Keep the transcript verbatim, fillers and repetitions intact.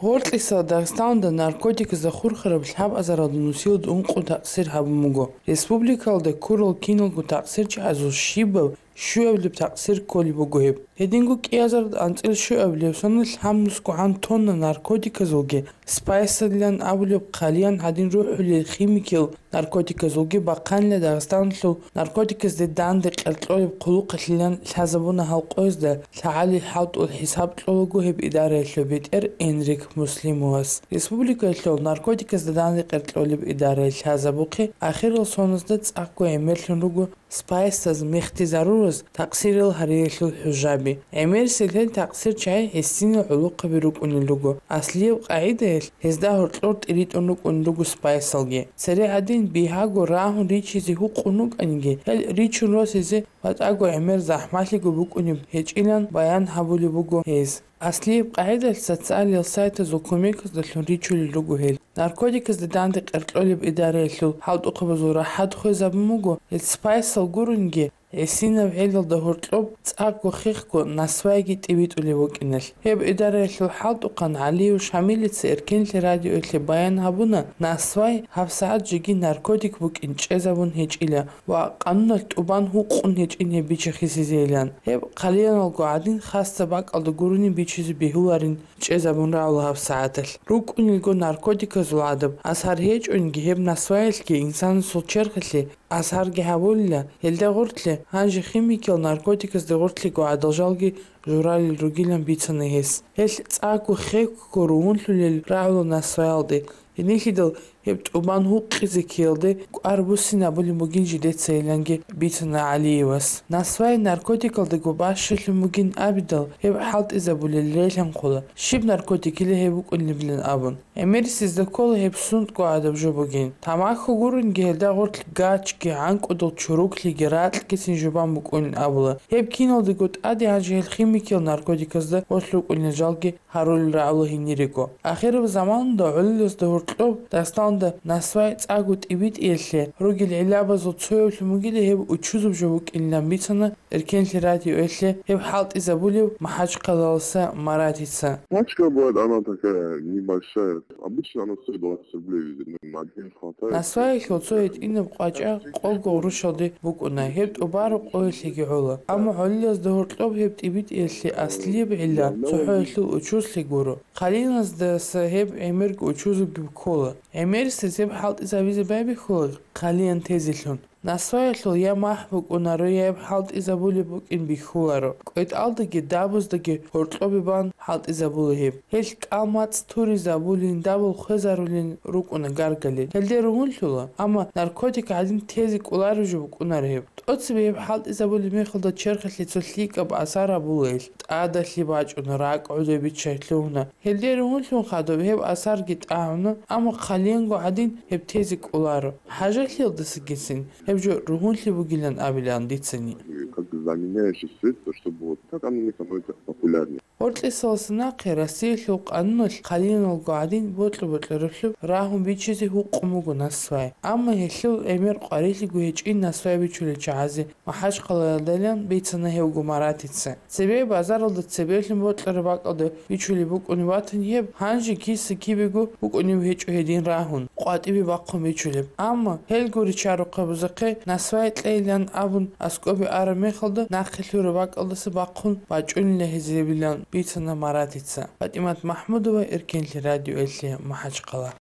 Гьоркьиса Дагъистаналда наркотиказда хурхараб лъабазаралда нусилда ункъо такъсир гьабун буго. Республикалда ккурал киналго такъсирчагӀазул щибаб щуяблеб такъсир кколеб буго гьеб. Гьединго кӀиазарда анцӀил щуабилеб соналъ гьаб нусгогӀан тонна наркотиказулги, спайсалилан абулеб хъалиян гӀадин рухӀулел химикиял наркотиказулги бахъанила Дагъистаналъул наркотиказде данде къеркьолеб хъулухъалъилан лъазабуна гьал къоязда. ЛъагӀалил хӀалтӀул хӀисаб кьолаго гьеб идараялъул бетӀер Энрик Муслимовас. Республикаялъул наркотиказда данде къеркьолеб идарае лъазабухъе ахирал соназда цӀакъго гӀемерлъун руго спайсаз, мехтизарураз такъсирал гьариялъул хӀужаби. ГӀемерисел гьел такъсирчагӀи гӀисинал гӀолохъаби рукӀунел руго. Аслияб къагӀидаялъ гьезда гьоркьор тӀиритӀун рукӀунел руго спайсалги. Цере гӀадин, бигьаго рагьун ричизе гьукъун рукӀаниги, гьел ричун росизе ва тӀаго гӀемер захӀмалъиго букӀунеб гьечӀилан баян гьабулеб буго гьез. Аслияб къагӀидалъ социалил сайтазул кумеказдалъун ричулел руго гьел. Наркотиказда данде къеркьолеб идараялъул хӀалтӀухъабазул рахӀат хвезабун буго, гьел спайсал гурунги, гӀисинаб гӀелалда гьоркьоб цӀакъго хехго насвайги тӀибитӀулеб букӀиналъ. Гьеб идараялъул хӀалтӀухъан ГӀалиев Шамилица Эркенлъи радиоялъе баян гьабуна, насвай гьабсагӀат жеги наркотик букӀин чӀезабун гьечӀила ва къануналъ тӀубан гьукъун гьечӀин гьеб бичахъисезейилан. Гьеб хъалияналго гӀадин хасаб бакӀалда гурони бичизе бегьуларин чӀезабун рагӀула гьабсагӀаталъ. РукӀунелго наркотиказул гӀадаб асар гьечӀониги, гьеб насваялъги инсанасул черхалъе асарги гьабулила, гьелда гъоркье гьанже химикиял наркотиказда гъоркьего гӀадал жалги журалел ругилан бицана гьес. Гьелъ цӀакъго хехго ругьунлъулел рагӀула насваялде. Гьенилъидал гьеб тӀубан гьукъизе ккеялде кӀвар буссинабулеб бугин жидецайиланги бицана ГӀалиевас. Насвай наркотикалдаго бащалъун бугин абидал, гьеб хӀалтӀизабулел релъанхъула, щиб наркотикила гьеб букӀунилан абун. ГӀемерисезда ккола гьеб сунтӀго гӀадаб жо бугин. Тамаху гурунги гьелда гъоркь гачги, гӀанкӀудал чуруклъиги ракьгицин жубан букӀунин абула. Гьеб киналдаго тӀаде гьанже гьел химикиял наркотиказда гъорлъ рукӀунел жалги гьарулел рагӀула гьенирего. Ахираб заманалда гӀолилазда гьоркьоб Дагъистаналда насвай цӀакъго тӀибитӀиялъе ругел гӀиллабазул цоявлъун бугила гьеб учузаб жо букӀинилан бицана Эркенлъи радиоялъе гьеб хӀалтӀизабулев МахӀачхъалаласа Маратица. Махачкала бывает, она такая небольшая. Обычно она стоит двадцать рублей везде. Ну, на день хватает. Насваялъул цо гьитӀинаб къвачӀа къого гъурущалде букӀуна, гьеб тӀубараб къоялъеги гӀола. Амма гӀолилазда гьоркьоб гьеб тӀибитӀиялъе аслияб гӀилла цохӀоялъул учузлъи гуро. Хъалияназдаса гьеб гӀемерго учузабги ккола. ГӀемерисез гьеб хӀалтӀизабизе байбихьула хъалиян тезелъун. Насваялъул я махӀ букӀунаро, я гьеб хӀалтӀизабулеб букӀин бихьуларо. КӀветӀалдаги дабуздаги гьоркьобе бан хӀалтӀизабула гьеб. Гьелъ кӀал-мацӀ туризабулин, дабул хвезарулин рукӀуна гаргалил. Гьелде ругьунлъула, амма наркотик гӀадин тезе кӀолареб жо букӀунаро гьеб. ТӀоцебе гьеб хӀалтӀизабулеб мехалда черхалъе цо лъикӀаб асар гьабула гьелъ. ТӀадалъи бачӀуна, ракӀ гӀодобиччай лъугьуна. Гьелде ругьунлъун хадуб гьеб асарги тӀагӀуна, амма хъалиянго гӀадин гьеб тезе кӀоларо. ХӀажалъиялдасагицин гьеб жо ругьунлъи бугилан абилан дицани. Как бы заменяющий средство, чтобы вот так оно не становится популярным. Гьоркьисаласа нахъе Россиялъул къануналъ хъалияналго гӀадин бокьа-бокьараблъун рагьун бичизе гьукъун буго насвай. Амма гьелъул гӀемер къварилъиго гьечӀин насвай бичулел чагӀазе МахӀачхъалаялдайилан бицана гьевго Маратица. Цебе базаралда цебеблъун бокьараб бакӀалда бичулеб букӀунеб батани гьеб, гьанже киса-кибего букӀунеб гьечӀо гьедин рагьун, къватӀибе бахъун бичулеб. Амма гьелго ричарухъабазухъе насвай кьейилан абун аскӀобе араб мехалда нахъе лъураб бакӀалдаса бахъун бачӀунила гьезиебилан бицана Маратица. ПатӀимат МахӀмудова, Эркенлъи радиоялъе, МахӀачхъала.